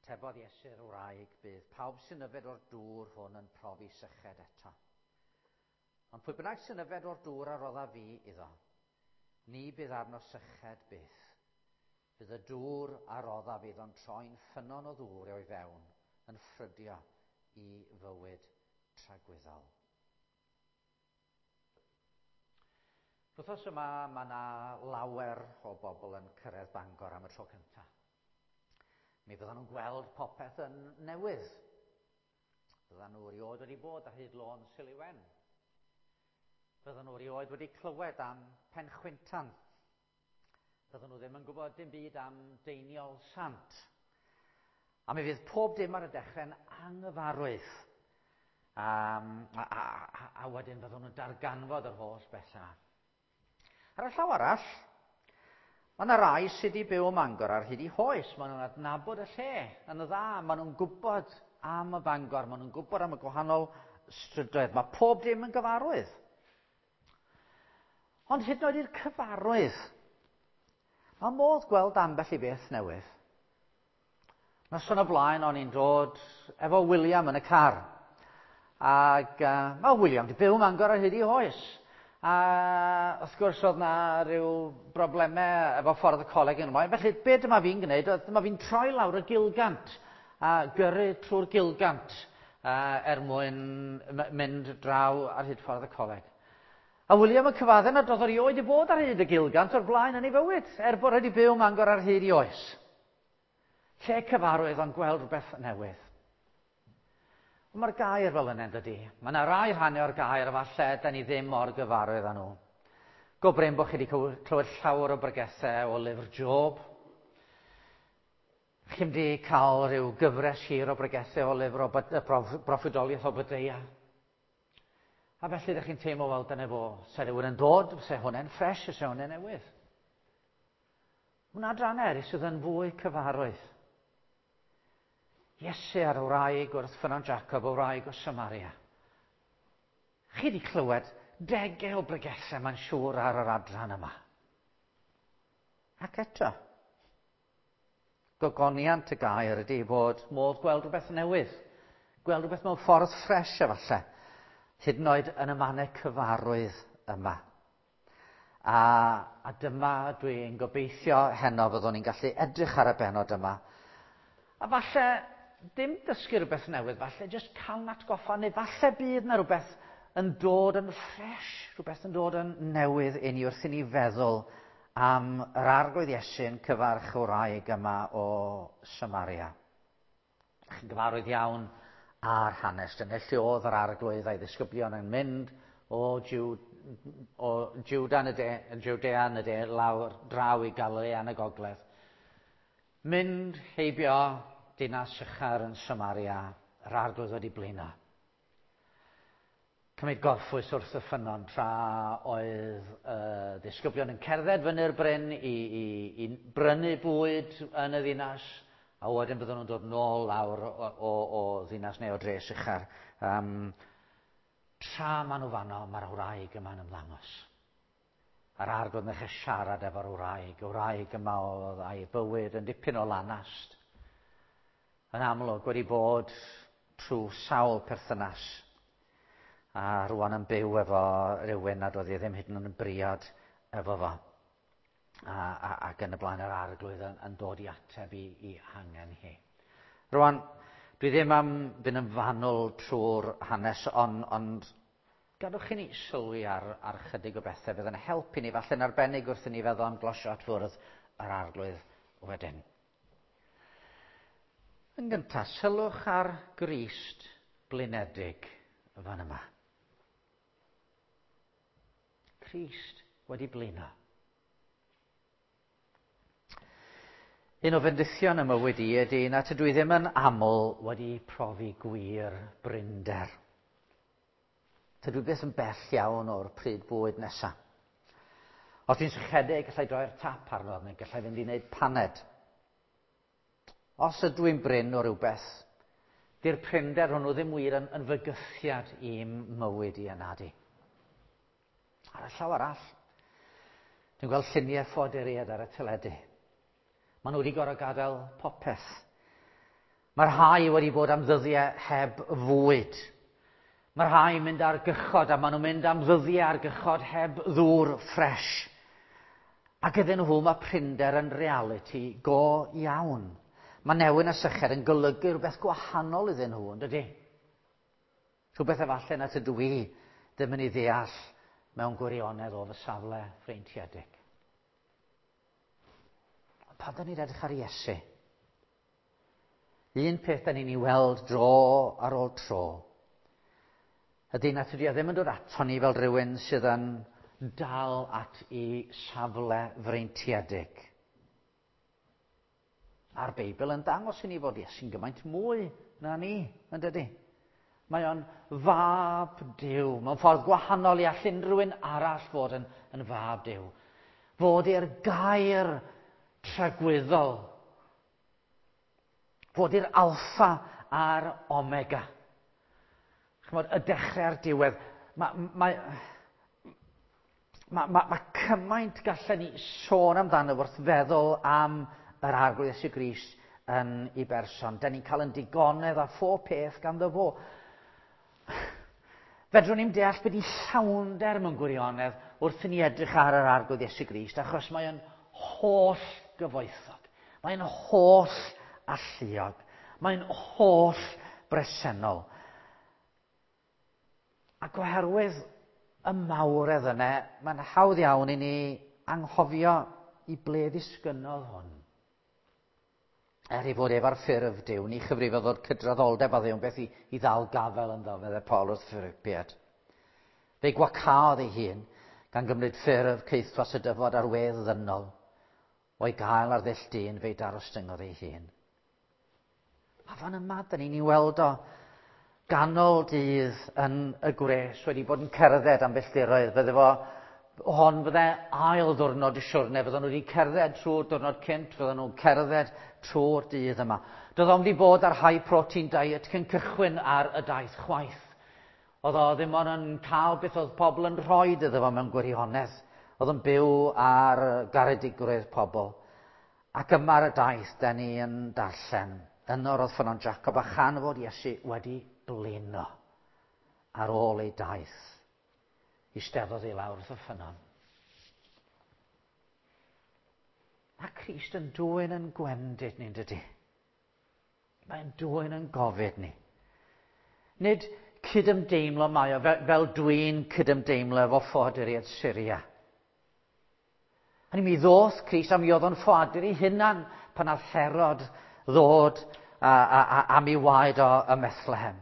Atebodd Iesu'r wraig, bydd pawb sy'n yfed o'r dŵr hwn yn profi syched eto. Ond pwy bynnag sy'n yfed o'r dŵr a rodda fi iddo, ni bydd arno syched byth. Bydd y dŵr a rodda fi iddo'n troi'n ffynnon o ddŵr o'i fewn, yn ffrydio i fywyd tragwyddol. Wythnos yma mae yna lawer o bobl yn cyrraedd Bangor am y tro cyntaf. Mi fyddan nhw'n gweld popeth yn newydd. Fyddan nhw erioed wedi bod ar hyd lôn Siliwen. Fyddan nhw erioed wedi clywed am Penchwintan. Fyddan nhw ddim yn gwybod dim byd am Deiniol Sant. A mi fydd pob dim ar y dechrau'n anghyfarwydd. A, a, a, a wedyn fyddwn nhw'n darganfod yr holl bethau. Ar y llaw arall, mae yna rai sydd wedi byw ym Mangor ar hyd i hoes. Maen nhw'n adnabod y lle yn y dda. Maen nhw'n gwybod am y Bangor. Maen nhw'n gwybod am y gwahanol strydoedd. Mae pob dim yn gyfarwydd. Ond hyd yn oed i'r cyfarwydd, mae modd gweld ambell i beth newydd. Noson o blaen o'n i'n dod efo William yn y car. Ac mae William wedi byw Mangor ar hyd i oes. A wrth gwrs oedd na rhyw broblemau efo ffordd y coleg yn ymlaen. Felly be dyma fi'n gwneud, oedd dyma fi'n troi lawr y Gilgant a gyrru trwy'r Gilgant er mwyn mynd draw ar hyd ffordd y coleg. A William yn cyfadde nad oedd erioed i bod ar hyd y Gilgant o'r blaen yn ei fywyd, er bod wedi byw Mangor ar hyd i oes. Lle cyfarwydd ond gweld rhywbeth newydd. Ond mae'r gair fel yna, dydy. Mae yna rai rhannau o'r gair falle da ni ddim mor gyfarwydd â nhw. Go brin bod chi wedi clywed llawer o bregethau o lyfr Job. Chi'n wedi cael rhyw gyfres hir o bregethau o lyfr o broffwydoliaeth Obadeia. A felly ydych chi'n teimlo fel dyna fo, se rhywun yn dod, se hwnna'n ffres, se hwnna'n newydd. Hwnna adran eraill sydd yn fwy cyfarwydd. Iesu ar y wraig wrth ffynnon Jacob, y wraig o Samaria. Chi wedi clywed degau o bregethau mae'n siŵr ar yr adran yma. Ac eto, gogoniant y gair ydy bod modd gweld rhywbeth newydd, gweld rhywbeth mewn ffordd ffres efallai, hyd yn oed yn y mannau cyfarwydd yma. A, a dyma dwi'n gobeithio heno fyddwn ni'n gallu edrych ar y benod yma. A falle dim dysgu rhywbeth newydd, falle jyst cael atgoffa, neu falle bydd na rhywbeth yn dod yn ffres, rhywbeth yn dod yn newydd i ni wrth i ni feddwl am yr arglwydd Iesu'n cyfarch y wraig yma o Samaria. Chi'n gyfarwydd iawn â'r hanes. Dyna lle oedd yr arglwydd a'i ddisgyblion yn mynd o, Jiw, o Juda yn y de, Judea yn y de, lawr draw i Galilea yn y gogledd. Mynd heibio dinas Sychar yn Samaria, yr arglwydd wedi blino. Cymryd gorffwys wrth y ffynnon tra oedd y ddisgyblion yn cerdded fyny'r bryn i, i, i brynu bwyd yn y ddinas, a wedyn byddwn nhw'n dod nôl lawr o, o, o ddinas neu o dre Sychar. Um, tra maen nhw fanno, mae'r wraig yma'n ymddangos. A'r arglwydd yn dechrau siarad efo'r wraig. Y wraig yma oedd a'i bywyd yn dipyn o lanast. Yn amlwg wedi bod trwy sawl perthynas a rwan yn byw efo rhywun nad oedd hi ddim hyd yn oed yn briod efo fo. A, a, ac yn y blaen yr arglwydd yn, yn dod i ateb i, i hangen hi. Rwan, dwi ddim am fynd yn fanwl trwy'r hanes, ond, ond gadwch i ni sylwi ar, ar chydig o bethau fydd yn helpu ni, falle'n arbennig wrth i ni feddwl am glosio at fwrdd yr arglwydd wedyn. Yn gyntaf, sylwch ar Grist blinedig fan yma. Crist wedi blino. Un o fendithion y mywyd i ydy na tydw i ddim yn aml wedi profi gwir brinder. Tydw i byth yn bell iawn o'r pryd bwyd nesaf. Os dwi'n sychedig, gallai droi'r tap arno, neu gallai fynd i wneud paned. Os ydw i'n brin o rywbeth, di'r prinder hwnnw ddim wir yn, yn fygythiad i'm mywyd i yna di. Ar y llaw arall, dwi'n gweld lluniau ffoaduriaid ar y teledu. Maen nhw wedi gorfod gadael popeth. Mae rhai wedi bod am ddyddiau heb fwyd. Mae rhai yn mynd ar gychod a maen nhw'n mynd am ddyddiau ar gychod heb ddŵr ffres. Ac iddyn nhw mae prinder yn realiti go iawn. Mae newyn a syched yn golygu rhywbeth gwahanol iddyn nhw, yn dydy? Rhywbeth efallai na tydw i ddim yn ei ddeall mewn gwirionedd o fy safle freintiedig. Ond pan da ni'n edrych ar Iesu, un peth da ni'n ei weld dro ar ôl tro, ydy na tydi o ddim yn dod ato ni fel rhywun sydd yn dal at ei safle freintiedig. A'r Beibl yn dangos i ni fod Iesu'n gymaint mwy na ni, yn dydy? Mae o'n fab Duw, mewn ffordd gwahanol i all unrhyw un arall fod yn fab Duw. Fod i'r gair tragwyddol. Fod i'r alffa a'r omega. Chymod, y dechrau a'r diwedd. Mae cymaint gallen ni sôn amdano wrth feddwl am yr Arglwydd Iesu Grist yn ei berson. Da ni'n cael yn digonedd a phob peth ganddo fo. Fedrwn ni'n deall beth i llawnder mewn gwirionedd wrth i ni edrych ar yr Arglwydd Iesu Grist, achos mae o'n holl gyfoethog. Mae'n holl alluog. Mae'n holl bresennol. Ac oherwydd y mawredd yna, mae'n hawdd iawn i ni anghofio i ble ddisgynnodd hwn. Er ei fod ef ar ffurf Duw, ni chyfrifodd fod cydraddoldeb a Dduw yn beth i ddal gafel ynddo, meddai Paul wrth Philipiaid. Fe'i gwacaodd ei hun, gan gymryd ffurf caethwas y dyfod ar wedd ddynol. O'i gael ar ddull dyn, fe'i darostyngodd ei hun. A fan yma, da ni'n ei weld o ganol dydd yn y gwres, wedi bod yn cerdded am filltiroedd. Fydde fo, hon fydde ail ddwrnod y siwrne, fydden nhw wedi cerdded trwy'r diwrnod cynt, fydden nhw'n cerdded trwy'r dydd yma. Doedd o'm wedi bod ar high protein diet cyn cychwyn ar y daith chwaith. Oedd o ddim ond yn cael beth oedd pobl yn rhoi iddo fo mewn gwirionedd. Oedd yn byw ar garedigrwydd pobl. Ac yma ar y daith, da ni yn darllen. Yno roedd ffynnon Jacob, a chan fod Iesu wedi blino ar ôl ei daith, eisteddodd i lawr wrth y ffynnon. Mae Crist yn dwyn yn gwendid ni'n dydy. Mae'n dwyn yn gofid ni. Nid cydymdeimlo mae o fel dwi'n cydymdeimlo efo ffoaduriaid Syria. Hynny mi ddoth Crist a mi oedd o'n ffoadur ei hunan pan nath Herod ddod am ei waed o ym Methlehem.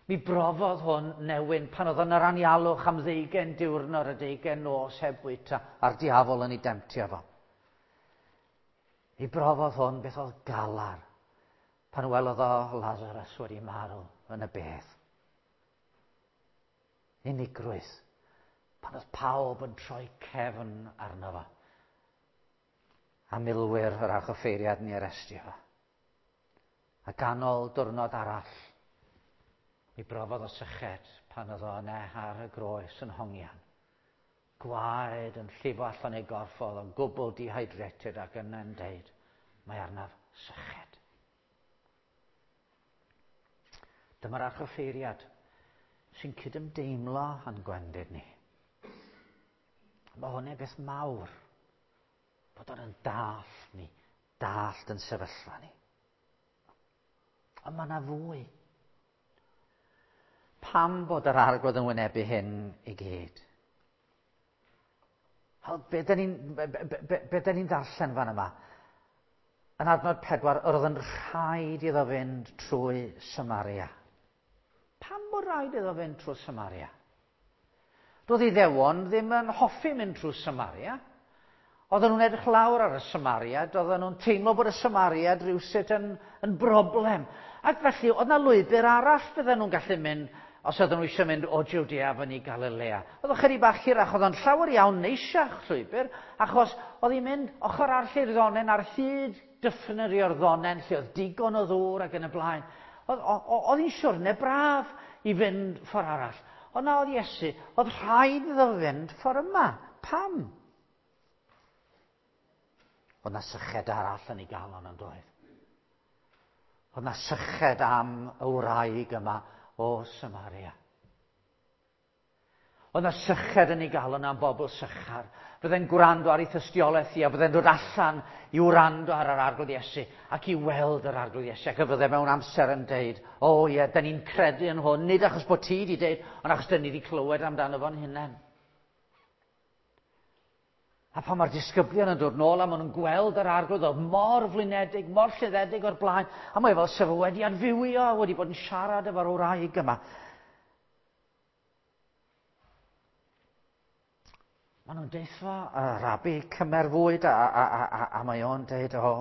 Mi brofodd hwn newyn pan oedd yn yr anialwch am 20 diwrnod a 20 nos heb fwyta a'r diafol yn ei demtio fo. Mi brofodd hwn beth oedd galar pan welodd o Lazarus wedi marw yn y bedd. Unigrwydd pan oedd pawb yn troi cefn arno fo. A milwyr yr archoffeiriad ni arestio fo. A ganol diwrnod arall, mi brofodd o syched pan oedd o yna ar y groes yn hongian. Gwaed yn llifo allan ei gorff, oedd o'n gwbl dehydrated ac yna'n deud, mae arnaf syched. Dyma'r archoffeiriad sy'n cydymdeimlo â'n gwendid ni. Mae hwnna'n beth mawr, bod o'n dallt ni, dallt yn sefyllfa ni. Ond mae yna fwy. Pam bod yr Arglwydd yn wynebu hyn i gyd? Wel, be da ni'n darllen fan yma? Yn adnod 4, yr oedd yn rhaid iddo fynd trwy Samaria. Pam bod rhaid iddo fynd trwy Samaria? Doedd Iddewon ddim yn hoffi mynd trwy Samaria. Oedden nhw'n edrych lawr ar y Samariad, oedden nhw'n teimlo bod y Samariad rhywsut yn broblem. Ac felly, oedd yna lwybr arall fydden nhw'n gallu mynd os oedden nhw eisiau mynd o Jwdea fyny i Galilea. Oedd o'n chydig bach hirach, oedd o'n llawer iawn neisiach llwybr, achos oedd hi'n mynd ochr arall i'r ddonen ar hyd dyffryn yr Iorddonen, lle oedd digon o ddŵr ac yn y blaen. Oedd hi'n siwrne braf i fynd ffordd arall. Ond na oedd Iesu, oedd rhaid iddo fynd ffordd yma. Pam? Oedd na syched arall yn ei galon yn doedd. Oedd na syched am y wraig yma o Samaria. Oedd na syched yn ei galon am bobl Sychar. Fydde'n gwrando ar ei thystiolaeth hi a fydde'n dod allan i wrando ar yr Arglwydd Iesu ac i weld yr Arglwydd Iesu. Ac y fydde mewn amser yn deud, o oh, ie, da ni'n credu yn hwn, nid achos bod ti wedi deud, ond achos da ni wedi clywed amdano fo'n hunain. A pan mae'r disgyblion yn dod nôl a maen nhw'n gweld yr Arglwydd oedd mor flinedig, mor lluddedig o'r blaen, a mae fel sef wedi adfywio, wedi bod yn siarad efo'r wraig yma. Maen nhw'n deithio y rabi cymer fwyd a, a, a, a, a mae o'n deud, o,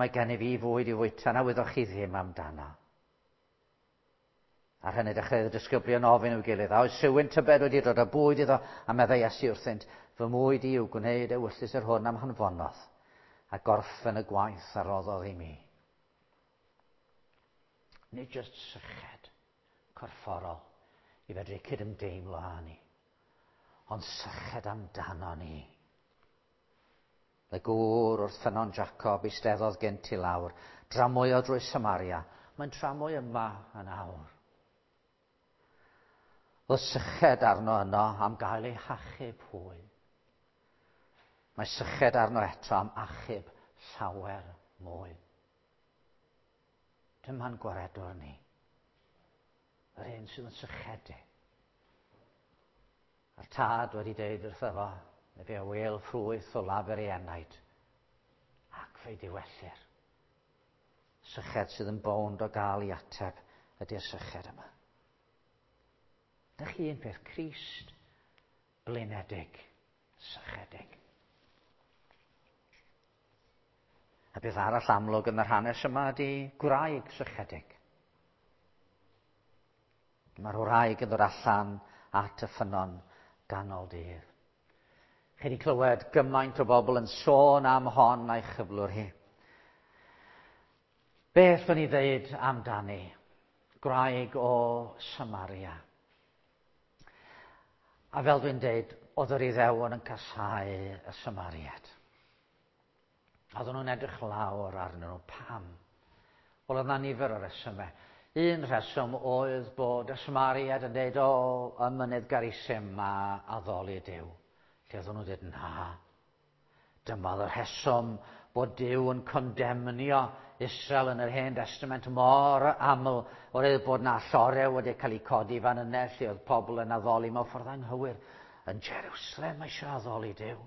mae gen i fi fwyd i fwyta na wyddoch chi ddim amdano. Ar hynny dechreuodd y disgyblion ofyn i'w gilydd, a oes rhywun tybed wedi dod â bwyd iddo, a meddai Iesu wrthynt, fy mwyd i yw gwneud ewyllys yr hwn am hanfonodd, a gorffen y gwaith a roddodd i mi. Nid just syched corfforol i fedru cydymdeimlo â ni, ond syched amdano ni. Y gŵr wrth ffynnon Jacob eisteddodd gynt i lawr, dramwyo drwy Samaria. Mae'n tramwy yma yn awr. Oedd syched arno yno am gael ei hachub hwy. Mae syched arno eto am achub llawer mwy. Dyma'n gwaredwr ni. Yr un sydd yn sychedu. A'r tad wedi deud wrtho fo, efe a wêl ffrwyth o lafur ei enaid, ac fe'i diwellir. Syched sydd yn bownd o gael ei ateb ydy'r syched yma. Dych chi un peth, Crist blinedig, sychedig. A beth arall amlwg yn yr hanes yma ydy gwraig sychedig. Mae'r wraig yn dod allan at y ffynnon ganol dydd. Chi wedi clywed gymaint o bobl yn sôn am hon a'i chyflwr hi. Beth o'n i ddeud amdani? Gwraig o Samaria. A fel dwi'n deud, oedd yr Iddewon yn casáu y Samariad. Oedden nhw'n edrych lawr arnyn nhw. Pam? Wel, oedd na nifer o resymau. Un rheswm oedd bod y Samariad yn deud, o, y mynydd Garisim a addoli Duw. Lle oedden nhw'n dweud, na. Dyma oedd y rheswm bod Duw yn condemnio Israel yn yr Hen Testament mor aml, oherwydd bod na llorew wedi cael eu codi fan yna lle oedd pobl yn addoli mewn ffordd anghywir. Yn Jerusalem mae eisiau addoli Duw.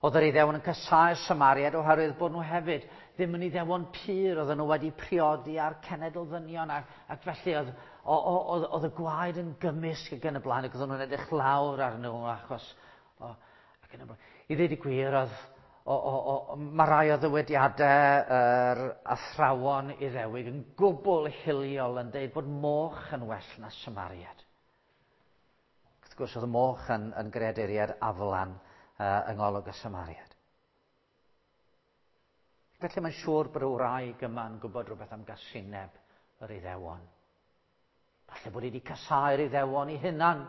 Oedd yr Iddewon yn casáu'r Samariad oherwydd bod nhw hefyd ddim yn Iddewon pur, oedden nhw wedi priodi â'r cenedl ddynion ac, ac felly oedd, oedd, oedd y gwaed yn gymysg ac yn y blaen ac oedden nhw'n edrych lawr arnyn nhw achos o, ac yn y blaen. I ddweud y gwir, oedd, o, o, o, mae rai o ddywediadau yr athrawon Iddewig yn gwbl hiliol yn dweud bod moch yn well na Samariad. Wrth gwrs, oedd y moch yn, yn greaduriad aflan uh, yng ngolwg y Samariad. Felly mae'n siŵr bod y wraig yma'n gwybod rhywbeth am gasineb yr Iddewon. Falle bod hi wedi casáu'r Iddewon ei hunan,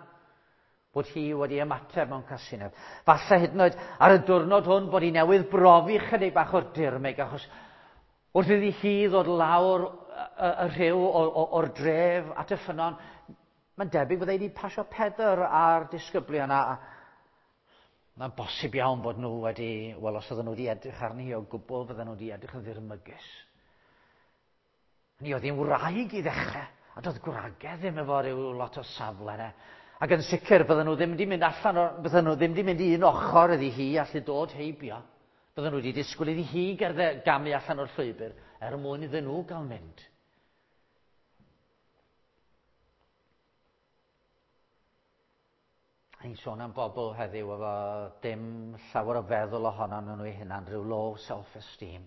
bod hi wedi ymateb mewn casineb. Falle hyd yn oed ar y diwrnod hwn bod hi newydd brofi chydig bach o'r dirmyg, achos wrth iddi hi ddod lawr y, y rhyw o'r dref at y ffynnon, mae'n debyg byddai wedi pasio Pedr a'r disgyblion a, Mae'n bosib iawn bod nhw wedi, wel os oedden nhw wedi edrych arni o gwbl, fydden nhw wedi edrych yn ddirmygus. Ni oedd hi'n wraig i ddechrau, a doedd gwragedd ddim efo rhyw lot o safle yna. Ac yn sicr, bydden nhw ddim wedi mynd allan, o'r, bydden nhw ddim wedi mynd i un ochr iddi hi allu dod heibio. Bydden nhw wedi disgwyl iddi hi gerdde gamu allan o'r llwybr er mwyn iddyn nhw gael mynd. Ni'n sôn am bobl heddiw efo dim llawer o feddwl ohono nhw eu hunan, rhyw low self-esteem.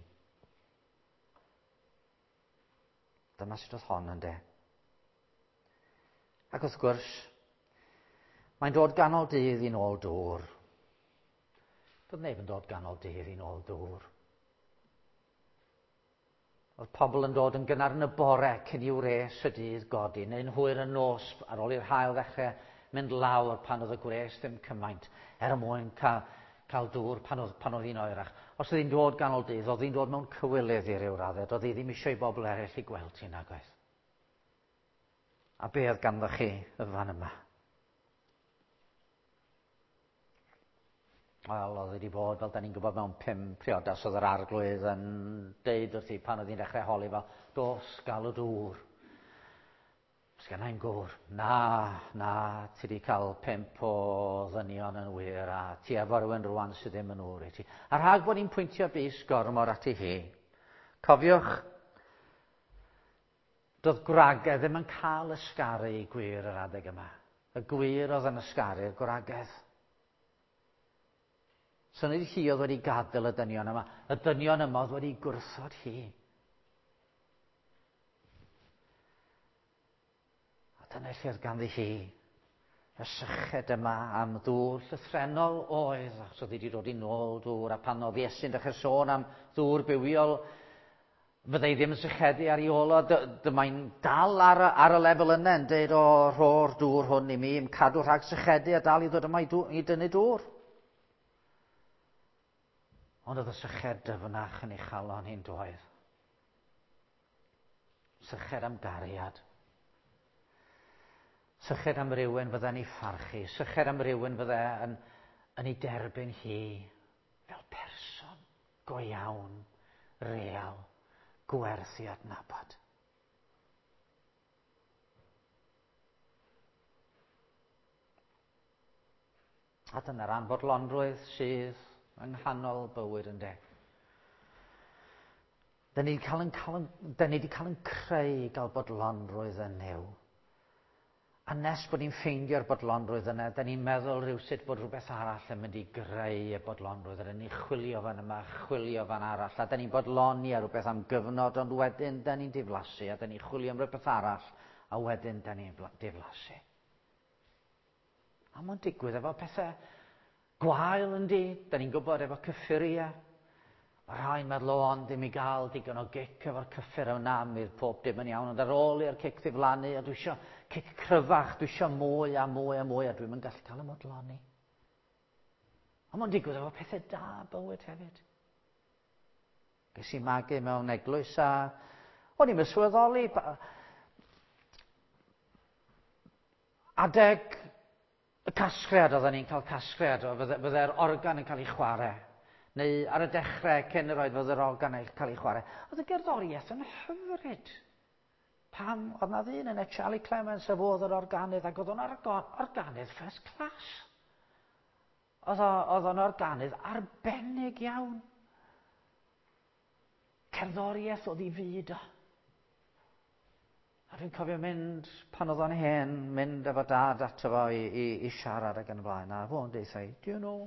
Dyma sut oedd hon yn de. Ac wrth gwrs, mae'n dod ganol dydd i nôl dŵr. Doedd neb yn dod ganol dydd i nôl dŵr. Oedd pobl yn dod yn gynnar yn y bore cyn i wres y dydd godi, neu'n hwyr y nos ar ôl i'r haul ddechrau mynd lawr pan oedd y gwres ddim cymaint, er mwyn cael, cael dŵr pan oedd, pan oedd hi'n oerach. Os oedd hi'n dod ganol dydd, oedd hi'n dod mewn cywilydd i ryw raddau. Doedd hi ddim eisiau i bobl eraill i gweld hi nag oedd. A be oedd ganddo chi y fan yma? Wel, oedd wedi bod, fel da ni'n gwybod, mewn pum priodas oedd yr arglwydd yn deud wrthi pan oedd hi'n dechrau holi fel, dos, galw dŵr. Sgenna i'm gŵr. Na, na, ti wedi cael pump o ddynion yn wir a ti efo rhywun rwan sydd ddim yn ŵr i ti. A rhag bod ni'n pwyntio bys gormod ati hi, cofiwch, doedd gwragedd ddim yn cael ysgaru i gwir yr adeg yma. Y gwir oedd yn ysgaru'r gwragedd. So nid hi oedd wedi gadael y dynion yma. Y dynion yma oedd wedi gwrthod hi. A dyna lle oedd ganddi hi y syched yma am ddŵr llythrennol oedd, achos oedd hi wedi dod i nôl dŵr, a pan oedd Iesu'n dechrau sôn am ddŵr bywiol, fyddai ddim yn sychedu ar ei ôl o, dyma'n dal ar, ar y lefel yna yn deud, o, rho'r dŵr hwn i mi, i'm cadw rhag sychedu a dal i ddod yma i, dŵr, i dynnu dŵr. Ond oedd y syched dyfnach yn ei chalon hi'n doedd. Syched am gariad. Syched am rywun fydde'n ei pharchu. Syched am rywun fydde yn, yn ei derbyn hi fel person go iawn, real, gwerth i adnabod. A dyna'r anfodlonrwydd sydd yng nghanol bywyd yn de. Da ni wedi cael yn, cael yn, da ni wedi cael yn creu i gael bodlonrwydd yn Nuw. A nes bod ni'n ffeindio'r bodlonrwydd yna, da ni'n meddwl rhywsut bod rhywbeth arall yn mynd i greu y bodlonrwydd. A da ni'n chwilio fan yma, chwilio fan arall, a da ni'n bodloni ar rhywbeth am gyfnod, ond wedyn da ni'n diflasu, a da ni'n chwilio am rhywbeth arall, a wedyn da ni'n diflasu. A mae'n digwydd efo pethau gwael yndi. Da ni'n gwybod efo cyffuriau. Mae rhai'n meddwl, o, ond ddim i gael digon o gic efo'r cyffur yna, mi fydd pob dim yn iawn. Ond ar ôl i'r cic ddiflannu, a dwi eisiau cic cryfach, dwi eisiau mwy a mwy a mwy, a dwi'n mynd gallu cael y modloni. A mae'n digwydd efo pethau da bywyd hefyd. Ges i magu mewn eglwys a o'n i'n sylweddoli Adeg y casgliad, oedden ni'n cael casgliad, fydde'r organ yn cael ei chwarae. Neu ar y dechrau, cyn yr oed, fydde'r organ yn cael ei chwarae. Oedd y gerddoriaeth yn hyfryd. Pam oedd na ddyn yna, Charlie Clements, a fo oedd yr organydd, ac oedd o'n organydd first class. Oedd o'n organydd arbennig iawn. Cerddoriaeth oedd i fyd o. A dwi'n cofio mynd, pan oedd o'n hen, mynd efo dad ato fo i, i, i siarad ac yn y blaen. A fo'n deud, do you know,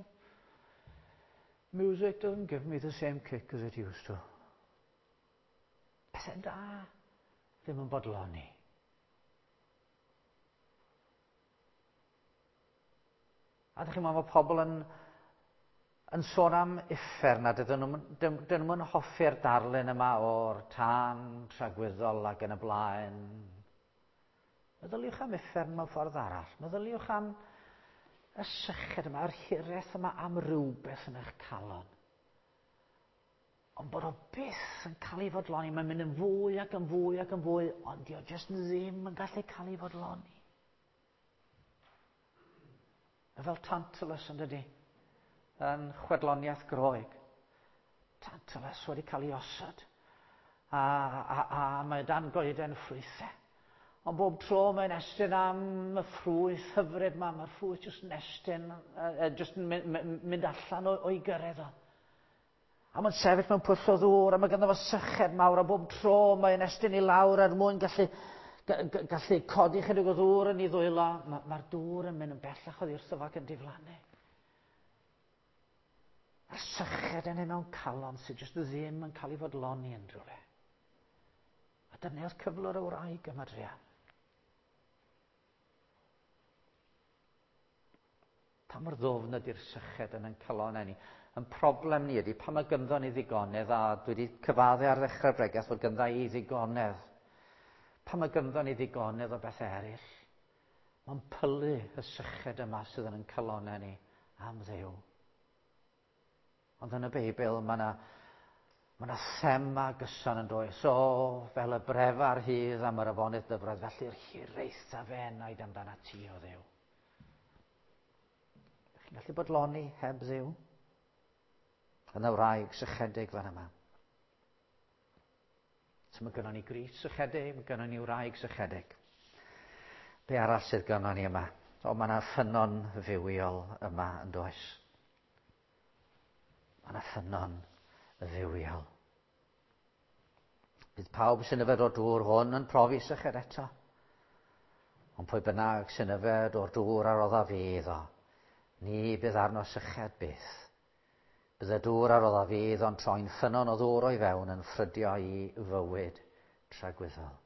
music doesn't give me the same kick as it used to. Pethau da, ddim yn bodloni. A ydych chi'n meddwl mae pobl yn, yn sôn am uffern a dydyn nhw'n dydyn nhw'n hoffi'r darlun yma o'r tân tragwyddol ac yn y blaen. Meddyliwch am uffern mewn ffordd arall. Meddyliwch am y syched yma, yr hiraeth yma am rywbeth yn eich calon. Ond bod o byth yn cael ei fodloni. Mae'n mynd yn fwy ac yn fwy ac yn fwy, ond di o jyst ddim yn gallu cael ei fodloni. Mae fel Tantalus yn dydy, yn chwedloniaeth Groeg. Tantalus wedi cael ei osod, a, a, a mae dan goeden ffrwythau. Ond bob tro mae'n estyn am y ffrwyth hyfryd ma, mae'r ffrwyth jyst yn estyn, uh, jyst yn mynd allan o'i gyrraedd o. A mae'n sefyll mewn pwll o ddŵr, a mae ganddo fo syched mawr, a bob tro mae'n estyn i lawr er mwyn gallu, gallu codi chydig o ddŵr yn ei ddwylo. Mae'r ma dŵr yn mynd yn bellach oddi wrtho fo ac yn diflannu. A'r syched yn ei mewn calon sydd jyst ddim yn cael ei fodloni yn rhywle. A dyna oedd cyflwr y wraig yma druan. Pa mor ddwfn ydy'r syched yn ein calonnau ni? Yn problem ni ydy pan mae gynddo ni ddigonedd, a dwi wedi cyfadde ar ddechrau'r bregeth fod gynddo i ddigonedd. Pan mae gynddo ni ddigonedd o bethau eraill, mae'n pylu y syched yma sydd yn ein calonnau ni am Dduw. Ond yn y Beibl mae yna ma 'na thema gyson yn does. O, fel y brefar hydd am yr afonydd dyfroedd, felly'r hiraetha fe enaid amdana ti o Dduw. Ydych chi'n gallu bodloni heb Dduw? Yn y wraig sychedig fan yma. So mae gynnon ni Grist sychedig, mae gynnon ni wraig sychedig. Be arall sydd gynnon ni yma? O, mae yna ffynnon fywiol yma yn does. Mae yna ffynnon fywiol. Bydd pawb sy'n yfed o'r dŵr hwn yn profi syched eto. Ond pwy bynnag sy'n yfed o'r dŵr a rodda fi iddo, ni bydd arno syched byth. Bydd y dŵr a rodda fi iddo'n troi'n ffynnon o ddŵr o'i fewn yn ffrydio i fywyd tragwyddol.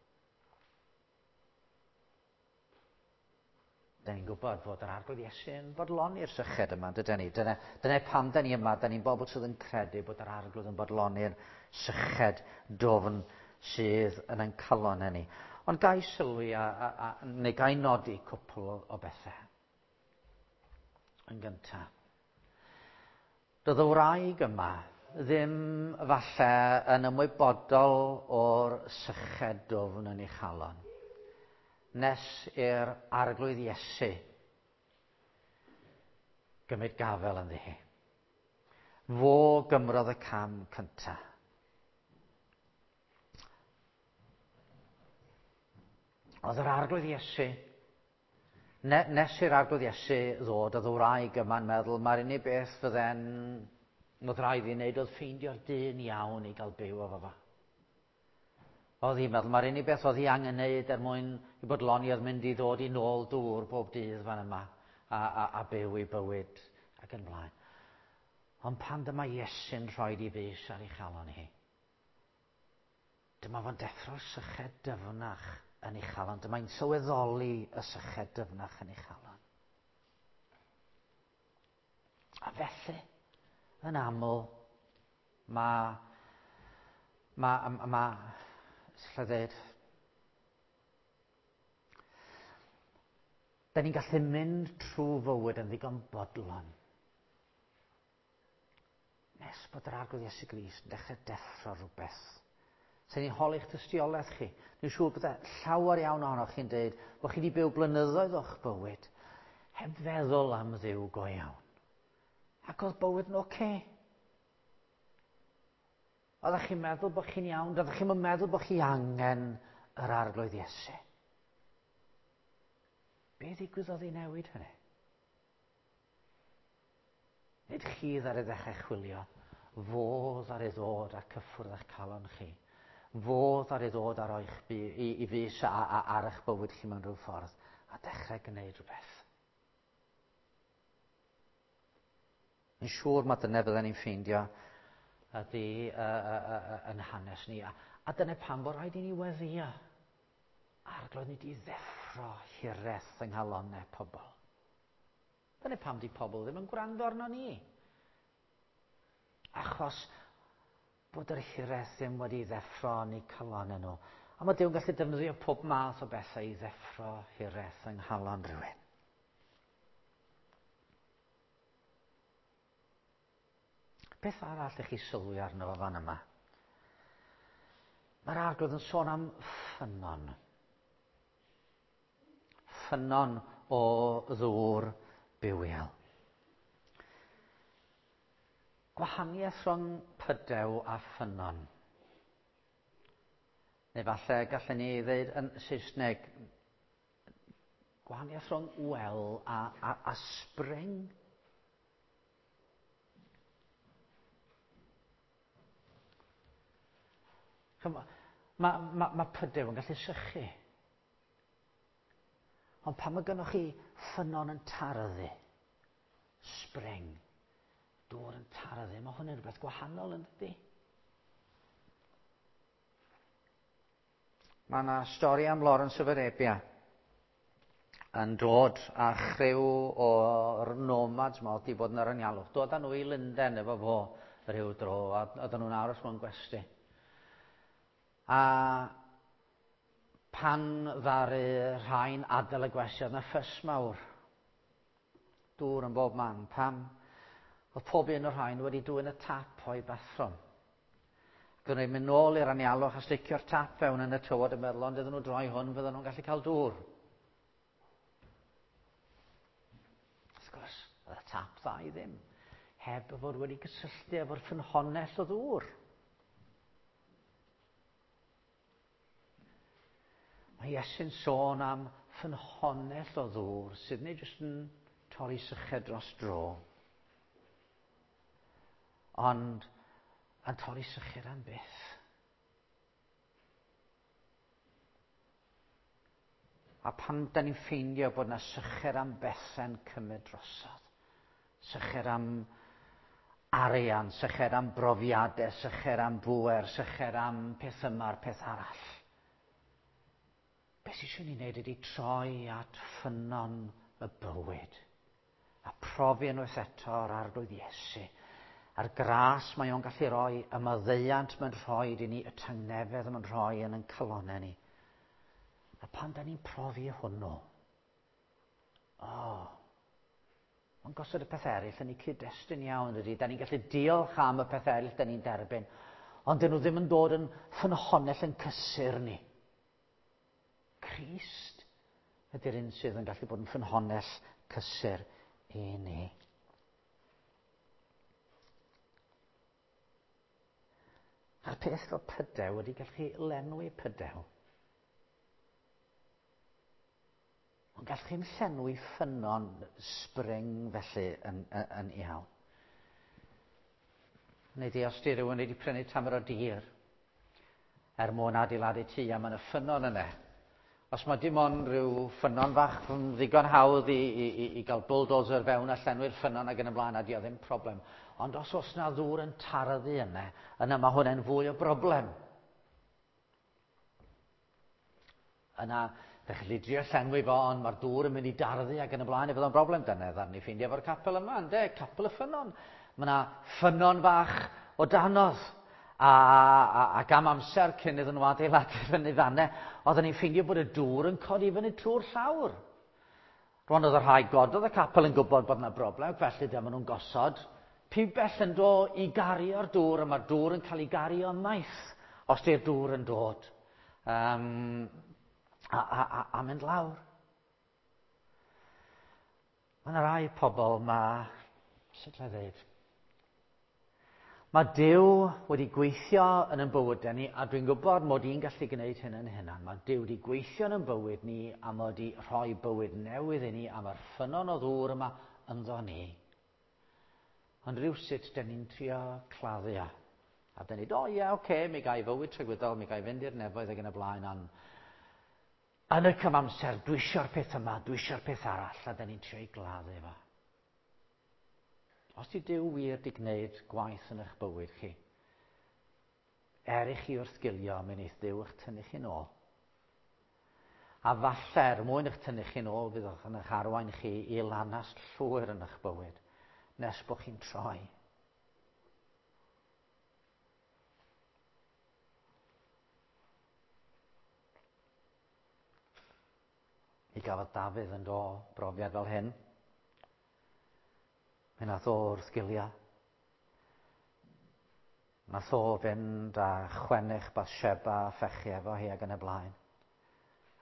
Da ni'n gwybod fod yr Arglwydd Iesu yn bodloni'r syched yma, dydyn ni? Dyna, dyna pam da ni yma, da ni'n bobl sydd yn credu bod yr Arglwydd yn bodloni'r syched dwfn sydd yn ein calon ni. Ond gai sylwi a, a, a, neu gai nodi cwpl o, o bethau. Yn gyntaf, doedd y wraig yma ddim falle yn ymwybodol o'r syched dwfn yn ei chalon, nes i'r Arglwydd Iesu gymryd gafel ynddi hi. Fo gymrodd y cam cyntaf. Oedd yr Arglwydd Iesu Ne, nes i'r Arglwydd Iesu ddod, oedd y wraig yma'n meddwl, mae'r unig beth fydde'n oedd rhaid i wneud oedd ffeindio'r dyn iawn i gael byw efo fo. Oedd hi'n meddwl, mae'r unig beth oedd hi angen wneud er mwyn i bodloni oedd mynd i ddod i nôl dŵr bob dydd fan yma a, a, a byw i bywyd ac yn blaen. Ond pan dyma Iesu'n rhoi i fys ar ei chalon hi, Dyma fo'n deffro'r syched dyfnach yn ei chalon. Dyma'n sylweddoli y syched dyfnach yn ei chalon. A felly, yn aml, mae, mae, mae, sut dweud, da ni'n gallu mynd trwy fywyd yn ddigon bodlon. Nes bod yr Arglwydd Iesu Grist yn dechrau deffro rhywbeth. Sa'n ni'n holi'ch tystiolaeth chi. Dwi'n siŵr bod llawer iawn ohonoch chi'n dweud bod chi wedi byw blynyddoedd o'ch bywyd heb feddwl am Dduw go iawn. Ac oedd bywyd yn oce. Okay. Oeddech chi'n meddwl bod chi'n iawn, doeddech chi'n meddwl bod chi angen yr Arglwydd Iesu. Be ddigwyddodd i newid hynny? Nid chi ddaru ddechrau chwilio, fo ddaru ddod a cyffwrdd â'ch calon chi. Fo ddaru ddod ar oe'ch bu, i, i fus a, a, ar eich bywyd chi mewn rhyw ffordd a dechrau gwneud rhywbeth. Yn siŵr mae dyna fydden ni'n ffeindio ydy yn hanes ni. A, a dyna pam bod rhaid i ni weddio. Arglwydd ni di ddeffro hiraeth yng nghalonnau pobl. Dyna pam di pobl ddim yn gwrando arno ni. Achos bod yr hiraeth ddim wedi ddeffro yn eu calonnau nhw. A mae Duw'n gallu defnyddio pob math o bethau i ddeffro hiraeth yng nghalon rhywun. Beth arall ych chi sylwi arno fo fan yma? Mae'r Arglwydd yn sôn am ffynnon. Ffynnon o ddŵr bywiol. Gwahaniaeth rhwng pydew a ffynnon. Neu falle gallen ni ddeud yn Saesneg, gwahaniaeth rhwng well a, a, a spring. Mae ma, ma, ma pydew yn gallu sychu. Ond pan mae gennych chi ffynnon yn tarddu, spring, dŵr yn tarddu, mae hwn yn rhywbeth gwahanol yn dydy? Mae yna stori am Lawrence of Arabia yn dod â chriw o'r nomads ma oedd wedi bod yn yr anialwch. Dod â nhw i Lundain efo fo rhyw dro, a oedden nhw'n aros mewn gwesty. A Pan ddaru rhai'n adael y gwesty, oedd 'na ffys mawr. Dŵr yn bob man. Pam? Oedd pob un o'r rhain wedi dwyn y tap o'i bathrwm. Ac o'n nhw'n mynd nôl i'r anialwch a sticio'r tap fewn yn y tywod yn meddwl, ond iddyn nhw droi hwn, fydden nhw'n gallu cael dŵr. Wrth gwrs, oedd y tap dda i ddim, heb fod wedi cysylltu efo'r ffynhonnell o ddŵr. Mae Iesu'n sôn am ffynhonnell o ddŵr sydd nid jyst yn torri syched dros dro, ond yn torri syched am byth. A pan da ni'n ffeindio bod yna syched am bethau'n cymryd drosodd, syched am arian, syched am brofiadau, syched am bŵer, syched am peth yma'r peth arall. Beth sydd eisiau ni wneud ydy troi at ffynnon y bywyd a profi unwaith eto yr Arglwydd Iesu a'r gras mae o'n gallu rhoi, y maddeuant mae'n rhoi i ni, y tangnefedd mae'n rhoi yn ein calonnau ni. A pan da ni'n profi hwnnw, o, oh, mae'n gosod y peth eraill yn ei cyd-destun iawn, ydy. Da ni'n gallu diolch am y peth eraill da ni'n derbyn, ond dyn nhw ddim yn dod yn ffynhonnell yn cysur ni. Crist ydy'r un sydd yn gallu bod yn ffynhonnell cysur i ni. A'r peth fel pydew ydy gallu lenwi pydew. Ond gallwch chi'm llenwi ffynnon spring felly yn, yn, yn iawn. Neu di os di rhywun wedi prynu tamer o dir er mwyn adeiladu tŷ a mae yna ffynnon yna. Os mae dim ond rhyw ffynnon fach yn ddigon hawdd i, i, i, i gael bulldozer fewn a llenwi'r ffynnon ac yn y blaen, a di o ddim problem. Ond os oes na ddŵr yn taraddu yna, yna mae hwnna'n fwy o broblem. Yna, fe chi drio llenwi fo, ond mae'r dŵr yn mynd i darddu ac yn y blaen, i fod o'n broblem. Dyna ddarn ni ffeindio efo'r capel yma, ynde? Capel y ffynnon. Mae yna ffynnon fach o danodd. A, a, ac am amser cyn iddyn nhw adeiladu fyny fanne, oedden ni'n ffeindio bod y dŵr yn codi fyny trwy'r llawr. Rwan oedd y rhai gododd y capel yn gwybod bod yna broblem, felly dyma nhw'n gosod pibell yn do i gario'r dŵr, a mae'r dŵr yn cael ei gario ymaith os di'r dŵr yn dod. Um, a, a, a, a mynd lawr. Mae yna rai pobl, mae, sut lai ddeud, Mae Duw wedi gweithio yn ein bywydau ni, a dwi'n gwybod mod i'n gallu gwneud hyn yn hunan. Mae Duw wedi gweithio yn ein bywyd ni, a mae wedi rhoi bywyd newydd i ni, a mae'r ffynnon o ddŵr yma ynddo ni. Ond rhywsut, dyn ni'n trio claddu o. A dyn ni'n dweud, o ie, oce, okay, mi gai fywyd tragwyddol, mi gai fynd i'r nefoedd ac yn y blaen, ond yn y cyfamser, dwi eisiau'r peth yma, dwi eisiau'r peth arall, a dyn ni'n trio i gladdu fo. Os di Duw wir di gwneud gwaith yn eich bywyd chi, er i chi wrthgilio, mi wneith Duw eich tynnu chi'n ôl. A falle, er mwyn eich tynnu chi'n ôl, fydd yn eich arwain chi i lanast llwyr yn eich bywyd, nes bod chi'n troi. Mi gafodd Dafydd yn do brofiad fel hyn. Mi nath o wrth gilio. Nath o fynd a chwennych Bathsheba a phechu efo hi ac yn y blaen.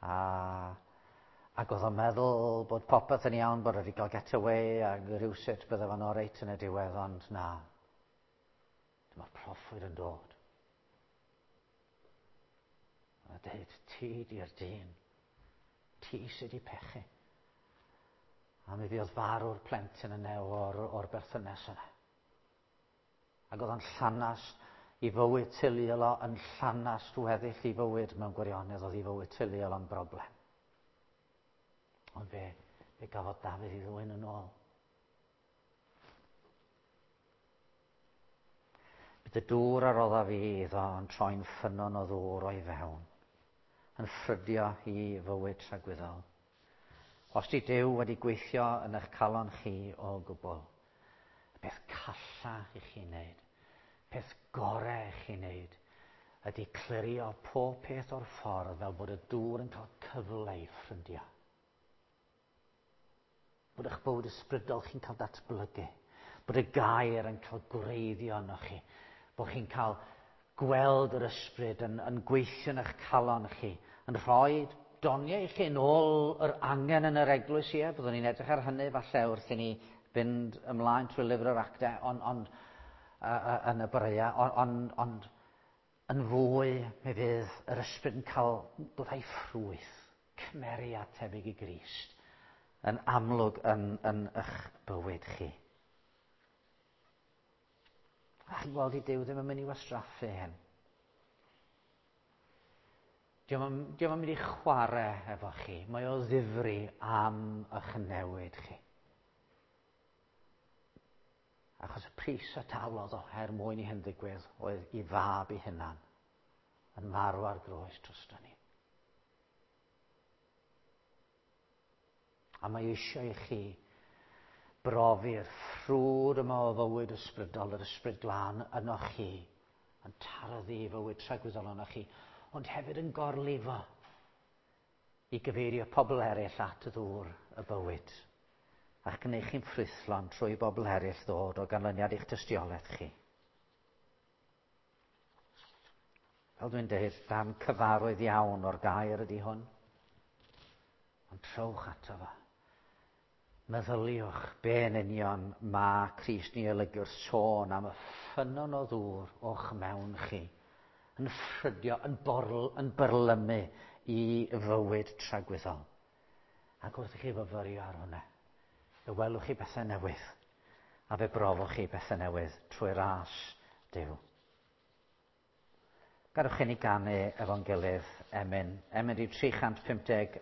A, ac oedd o'n meddwl bod popeth yn iawn, bod wedi cael get away a rhywsut bydde fo'n oreit yn y diwedd, ond na. Dyma'r proffwyd yn dod. A dweud, ti di'r dyn. Ti sydd wedi pechu. A mi fuodd farw'r plentyn yna o'r, or berthynas yna. Ac oedd o'n llanast i fywyd teuluol o, yn llanast weddill i fywyd mewn gwirionedd, oedd i fywyd teuluol o'n broblem. Ond fe, fe gafodd Dafydd i ddwyn yn ôl. Bydd y dŵr a rodda fi iddo yn troi'n ffynnon o ddŵr o'i fewn, yn ffrydio i fywyd tragwyddol. Os di Duw wedi gweithio yn eich calon chi o gwbl, y peth calla i chi wneud, peth gorau i chi wneud, ydy clirio pob peth o'r ffordd fel bod y dŵr yn cael cyfle i ffrydio. Bod eich bywyd ysbrydol chi'n cael datblygu. Bod y gair yn cael gwreiddio yno chi. Bod chi'n cael gweld yr ysbryd yn gweithio yn eich calon chi, yn rhoi doniau i chi yn ôl yr angen yn yr eglwys, ie. Byddwn ni'n edrych ar hynny falle wrth i ni fynd ymlaen trwy lyfr yr actau, ond yn y boreau, ond yn fwy mi fydd yr ysbryd yn cael dod â'i ffrwyth, cymeriad tebyg i Grist, yn amlwg yn eich bywyd chi. A chi'n gweld i Duw ddim yn mynd i wastraffu hyn. Dio'm yn mynd i chwarae efo chi. Mae o ddifri am eich newid chi. Achos y pris a talodd o er mwyn i hyn ddigwydd oedd i fab i hunan yn marw ar groes drosto ni. A mae eisiau i chi brofi'r ffrwd yma o fywyd ysbrydol, yr ysbryd glân yno chi, yn taroddu i fywyd tragwyddol yno chi, ond hefyd yn gorlifo i gyfeirio pobl eraill at y ddŵr y bywyd, a'ch gwneud chi'n ffrwythlon trwy bobl eraill ddod o ganlyniad i'ch tystiolaeth chi. Fel dwi'n dweud, dan cyfarwydd iawn o'r gair ydy hwn, ond trowch ato fo. Meddyliwch be yn union mae Crist ni olygu wrth sôn am y ffynnon o ddŵr o'ch mewn chi, yn ffrydio, yn byrlymu i fywyd tragwyddol. Ac wrth i chi fyfyrio ar hwnna, fe welwch chi bethau newydd, a fe brofwch chi bethau newydd trwy ras Duw. Gadewch i ni ganu efo'n gilydd emyn. Emyn rhif 359.